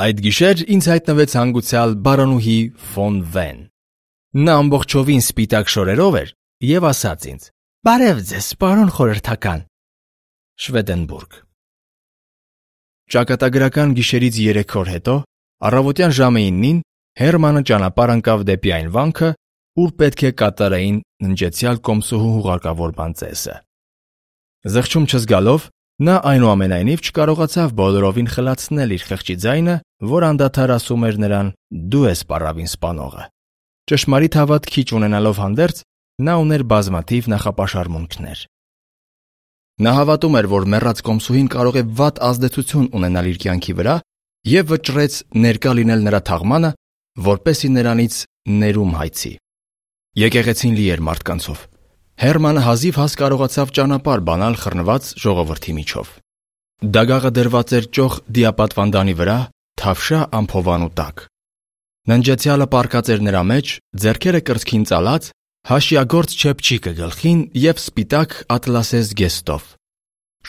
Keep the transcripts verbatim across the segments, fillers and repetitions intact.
Այդ գիշեր ինձ հայտնվեց հանգուցյալ բարոնուհի ֆոն Վեն։ Նա ամբողջովին սպիտակ շորերով էր և ասաց ինձ. «Բարև ձեզ, պարոն խորհրդական»։ Շվեդենբուրգ։ Ճակատագրական գիշերից երեք օր հետո, առավոտյան ժամը իննին, Հերմանը ճանապարհ ընկավ դեպի այն վանքը, ուր պետք է կատարեին ննջեցյալ կոմսուհու հուղարկավոր բանծեսը։ Զղջում չզգալով, նա այնուամենայնիվ չկարողացավ բոլորովին խլացնել իր խղճի ձայնը, որ անդադար ասում էր նրան. «Դու ես պառավին սպանողը»։ Ճշմարիտ հավատքի չունենալով հանդերձ, նա ուներ բազմաթիվ նախապաշարմունքներ։ Նա հավատում էր, որ մեռած կոմսուհին կարող է վատ ազդեցություն ունենալ իր կյանքի վրա և վճռեց ներկա լինել նրա թաղմանը, որպեսզի նրանից ներում հայցի։ Եկեղեցին լի էր մարդկանցով։ Հերմանը հազիվ հաս կարողացավ ճանապարհ բանալ խռնված ժողովրդի միջով։ Դագաղը դրված էր ճոխ դիապատվանդանի վրա, թավշյա ամփովանու տակ։ Ննջեցյալը պառկած էր նրա մեջ, ձեռքերը կրծքին ծալած, հաշիագործ չեփչիկը գլխին և սպիտակ ատլասե զգեստով։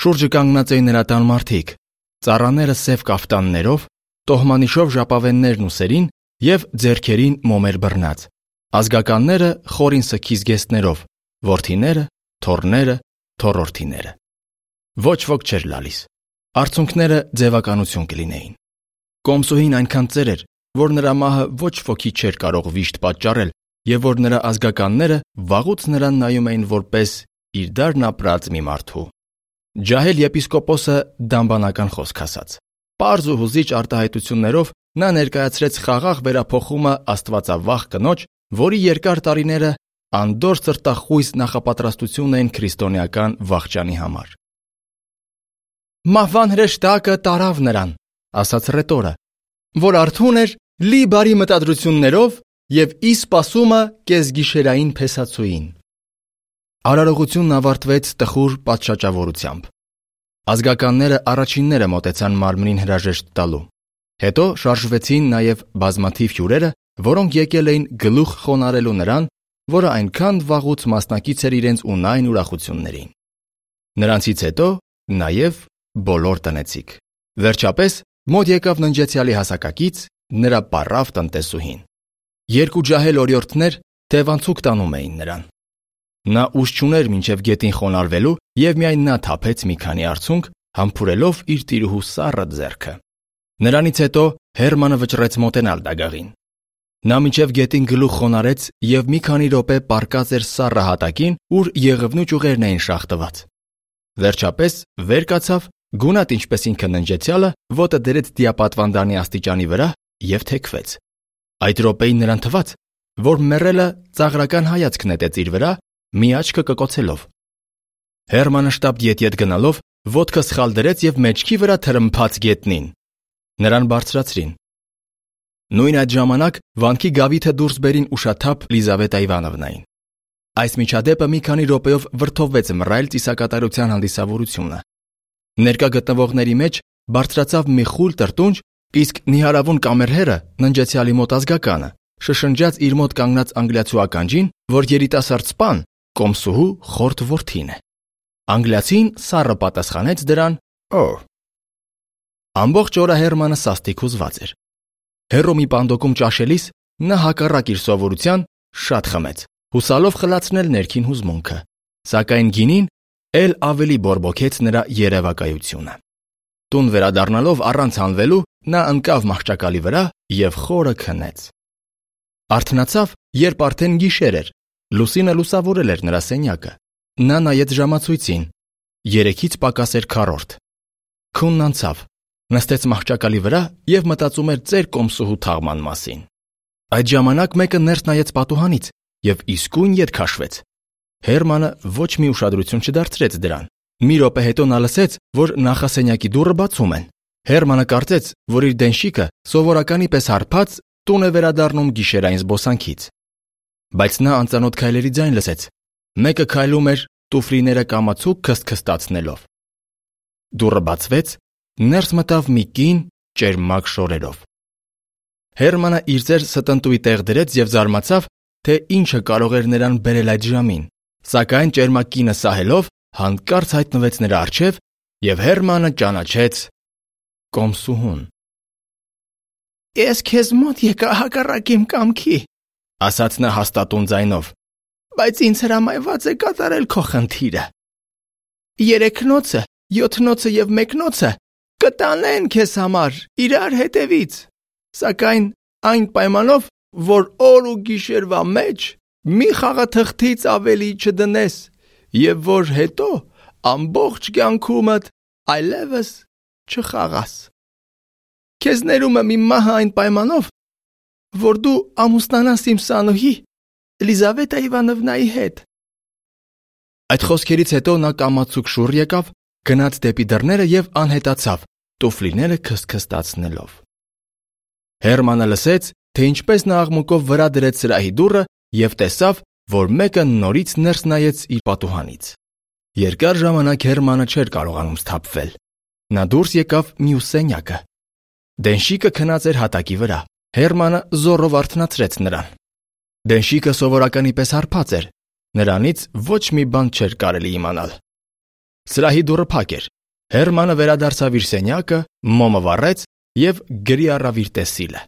Շուրջը կանգնած էին նրա տան մարդիկ, ծառաները սև կաֆտաններով, տոհմանիշով ժապավեններն ուսերին և ձեռքերին մոմեր բռնած, ազգականները խորին սգի զգեստներով, որդիները, թոռները, թոռորդիները։ Ոչ ոք չէր լալիս։ Արցունքները ձևականություն կլինեին։ Կոմսուհին այնքան ծեր էր, որ նրա մահը ոչ ոքի չէր կարող վիշտ պատճառել և որ նրա ազգականները վաղուց նրան նայում էին որպես իր դարն ապրած մի մարդու։ Ջահել եպիսկոպոսը դամբանական խոսք ասաց։ Պարզ ու հուզիչ արտահայտություններով նա ներկայացրեց խաղաղ վերափոխումը աստվածավախ կնոջ, որի երկար տարիները անդորր սրտախույս նախապատրաստություն էին քրիստոնեական վախճանի համար։ «Մահվան հրեշտակը տարավ նրան», ասաց ռետորը, որ արթուն էր, լի բարի մտադրություններով և ի սպասումը կեսգիշերային փեսացուին։ Արարողությունն ավարտվեց տխուր պատշաճավորությամբ։ Ազգականները առաջինները մոտեցան մարմնին հրաժեշտ տալու։ Հետո շարժվեցին նաև բազմաթիվ հյուրերը, որոնք եկել էին գլուխ խոնարհելու նրան, որը այնքան վաղուց մասնակից էր իրենց ունայն ուրախություններին։ Նրանցից հետո նաև բոլոր տնեցիք։ Վերջապես մոտ եկավ ննջեցյալի հասակակից, նրա պառավ տնտեսուհին։ Երկու ջահել օրիորդներ թևանցուկ տանում էին նրան։ Նա ուժ չուներ մինչև գետին խոնարհվելու և միայն նա թափեց մի քանի արցունք, համբուրելով իր տիրուհու սառը ձեռքը։ Նրանից հետո Հերմանը վճռեց մոտենալ դագաղին։ Նա մինչև գետին գլուխ խոնարհեց և մի քանի րոպե պառկած էր սառը հատակին, ուր եղևնու ճյուղերն էին շաղ տված։ Վերջապես վեր կացավ, գունատ ինչպես ինքը ննջեցյալը, ոտը դրեց դիապատվանդանի աստիճանի վրա և թեքվեց։ Այդ րոպեին նրան թվաց, որ մեռելը ծաղրական հայացք նետեց իր վրա, մի աչքը կկոցելով։ Հերմանը շտապ ետևետ գնալով ոտքը սխալ դրեց և մեջքի վրա թրմփաց գետնին։ Նրան բարձրացրին։ Նույն այդ ժամանակ վանքի գավիթը դուրս բերին ուշաթափ Լիզավետա Իվանովնային։ Այս միջադեպը մի քանի րոպեով վրդովվեց մռայլ ծիսակատարության հանդիսավորությունը։ Ներկա գտնվողների մեջ բարձրացավ մի խուլ տրտունջ, իսկ նիհարավուն կամերհերը, ննջեցյալի մոտ ազգականը, շշնջաց իր մոտ կանգնած անգլիացու ականջին, որ երիտասարդ սպան կոմսուհու խորթ որդին է։ Անգլիացին սառը պատասխանեց դրան. «Օ»։ Ամբողջ օրը Հերմանը սաստիկ հուզված էր։ Հեռու մի պանդոկում ճաշելիս նա հակառակ իր սովորության շատ խմեց, հուսալով խլացնել ներքին հուզմունքը, սակայն գինին էլ ավելի բորբոքեց նրա երևակայությունը։ Տուն վերադառնալով առանց հանվելու նա ընկավ մահճակալի վրա և խորը քնեց։ Արթնացավ, երբ արդեն գիշեր էր, լուսինը լուսավորել էր նրա սենյակը։ Նա նայեց ժամացույցին։ Երեքից պակաս էր քառորդ։ Քունն անցավ, նստեց մահճակալի վրա և մտածում էր ծեր կոմսուհու թաղման մասին։ Այդ ժամանակ մեկը ներս նայեց պատուհանից և իսկույն ետ քաշվեց։ Հերմանը ոչ մի ուշադրություն չդարձրեց դրան։ Մի րոպե հետո նա լսեց, որ նախասենյակի դուռը բացում են։ Հերմանը կարծեց, որ իր դենշիկը սովորականի պես հարբած տուն է վերադառնում գիշերային զբոսանքից։ Բայց նա անծանոթ քայլերի ձայն լսեց։ Մեկը քայլում էր տուֆլիները կամացուկ քստքստացնելով։ Դուռը բացվեց, ներս մտավ մի կին ճերմակ շորերով։ Հերմանը իր ձեր ստնտուի տեղ դրեց և զարմացավ, թե ինչը կարող էր նրան բերել այդ ժամին, սակայն ճերմակ կինը սահելով հանկարծ հայտնվեց նրա առջև և Հերմանը ճանաչեց կոմսուհուն։ Ես քեզ մոտ եկա հակառակ իմ կամքի, ասաց նա հաստատուն ձայնով, բայց ինձ հրամայված է կատարել քո խնդիրը։ Երեքնոցը, յոթնոցը եւ մեկնոցը կտանեն քեզ համար իրար հետևից, սակայն այն պայմանով, որ օր ու գիշերվա մեջ մի խաղաթղթից ավելի չդնես եւ որ հետո ամբողջ կյանքումդ այլևս չխաղաս։ Քեզ ներում եմ իմ մահը այն պայմանով, որ դու ամուսնանաս իմ սանուհի Էլիզավետա Իվանովնայի հետ։ Այդ խոսքերից հետո նա կամացուկ շուռ եկավ, գնաց դեպի դռները եւ անհետացավ, տուֆլիները քստքստացնելով։ Հերմանը լսեց, թե ինչպես նա աղմուկով վրա դրեց սրահի դուռը եւ տեսավ, որ մեկը նորից ներս նայեց իր պատուհանից։ Երկար ժամանակ Հերմանը չէր կարողանում սթափվել։ Նա դուրս եկավ մյուս սենյակը։ Դենշիկը քնած էր հատակի վրա։ Հերմանը զոռով արթնացրեց նրան։ Դենշիկը սովորականի պես հարբած էր։ Նրանից ոչ մի բան չէր կարելի իմանալ։ Սրահի դուռը փակ էր։ Հերմանը վերադարձավ իր սենյակը, մոմը վառեց եւ գրի առավ իր տեսիլը։